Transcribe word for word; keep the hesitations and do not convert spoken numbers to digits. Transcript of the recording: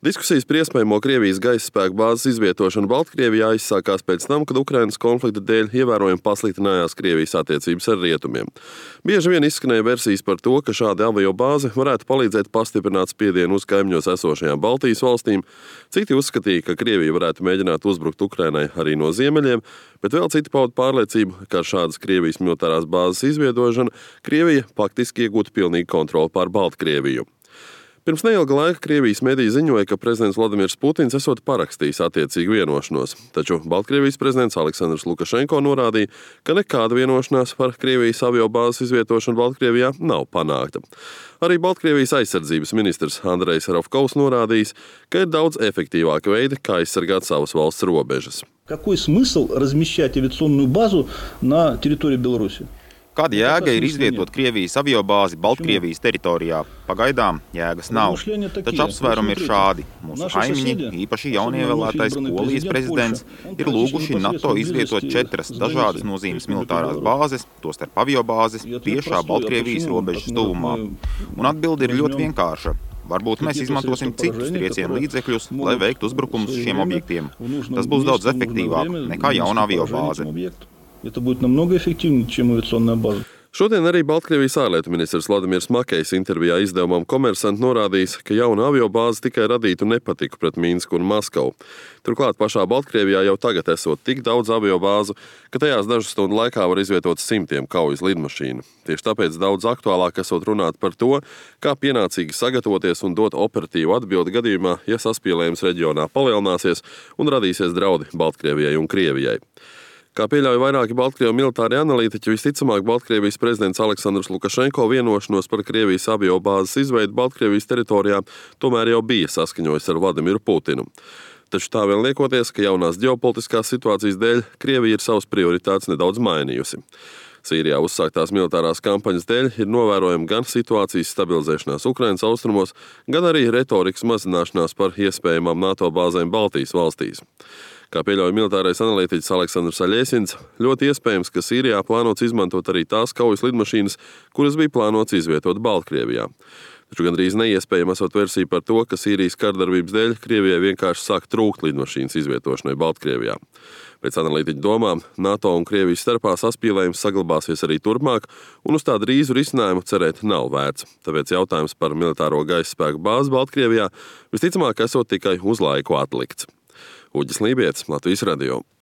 Diskusijas par iespējamo Krievijas gaisa spēku bāzes izvietošanu Baltkrievijā izsākās pēc tam, kad Ukrainas konflikta dēļ ievērojami pasliktinājās Krievijas attiecības ar rietumiem. Bieži vien izskanēja versijas par to, ka šāda avio bāze varētu palīdzēt pastiprināt spiedienu uz kaimiņos esošajām Baltijas valstīm. Citi uzskatīja, ka Krievija varētu mēģināt uzbrukt Ukrainai arī no ziemeļiem, bet vēl citi pauda pārliecību, ka ar šādas Krievijas militārās bāzes izveidošanu Krievija faktiski iegūtu pilnīgu kontroli pār Baltkrieviju. Pirms neilga laika Krievijas mediji ziņoja, ka prezidents Vladimirs Putins esot parakstījis attiecīgu vienošanos, taču Baltkrievijas prezidents Aleksandrs Lukašenko norādīja, ka nekāda vienošanās par Krievijas aviobāzes izvietošanu Baltkrievijā nav panākta. Arī Baltkrievijas aizsardzības ministrs Andrejs Ravkovs norādījis, ka ir daudz efektīvāka veida, kā aizsargāt savas valsts robežas. Какой смысл размещать авиационную базу на территории Беларуси? Kāda jēga ir izvietot Krievijas aviobāzi Baltkrievijas teritorijā? Pagaidām jēgas nav. Taču apsvērumi ir šādi. Mūsu kaimiņi, īpaši jaunievēlētais Polijas prezidents, ir lūguši NATO izvietot četras dažādas nozīmes militārās bāzes, tostarp aviobāzes, tiešā Baltkrievijas robežas tuvumā. Un atbilde ir ļoti vienkārša. Varbūt mēs izmantosim citus triecienu līdzekļus, lai veiktu uzbrukumus šiem objektiem. Tas būs daudz efektīvāk nekā jauna aviobāze. Это будет намного эффективнее, чем авиационная база. Šodien arī Baltkrievijas ārlietu ministrs Vladimirs Makejs intervijā izdevumam Komersant norādījis, ka jauna aviobāze tikai radītu nepatiku pret Minsku un Maskavu. Turklāt pašā Baltkrievijā jau tagad esot tik daudz aviobāzu, ka tajās dažu stundu laikā var izvietot simtiem kaujas lidmašīnu. Tieši tāpēc daudz aktuālāk esot runāt par to, kā pienācīgi sagatavoties un dot operatīvu atbildi gadījumā, ja saspīlējums reģionā palielināsies un radīsies draudi Baltkrievijai un Krievijai. Kā pieļauj vairāki Baltkrievu militāri analītiķi, visticamāk Baltkrievijas prezidents Aleksandrs Lukašenko vienošanos par Krievijas aviobāzes izveidu Baltkrievijas teritorijā tomēr jau bija saskaņojis ar Vladimiru Putinu. Taču tā vien liekoties, ka jaunās ģeopolitiskās situācijas dēļ Krievija ir savas prioritātes nedaudz mainījusi. Sīrijā uzsāktās militārās kampaņas dēļ ir novērojama gan situācijas stabilizēšanās Ukrainas austrumos, gan arī retorikas mazināšanās par iespējamām NATO bāzēm Baltijas valstīs. Kā pieļauj militārais analītiķis Aleksandrs Aļiesins, ļoti iespējams, ka Sīrijā plānots izmantot arī tās kaujas lidmašīnas, kuras bija plānots izvietot Baltkrievijā. Taču gandrīz neiespējama esot versija par to, ka Sīrijas kardarbības dēļ Krievijai vienkārši sāk trūkt lidmašīnas izvietošanai Baltkrievijā. Pēc analītiķu domām, NATO un Krievijas starpā saspīlējums saglabāsies arī turpmāk, un uz tā drīzu risinājumu cerēt nav vērts. Tāpēc jautājums par militāro gaisa spēku bāzi Baltkrievijā visticamāk esot tikai uz laiku atlikts. Uģis Lībietis, Latvijas radio.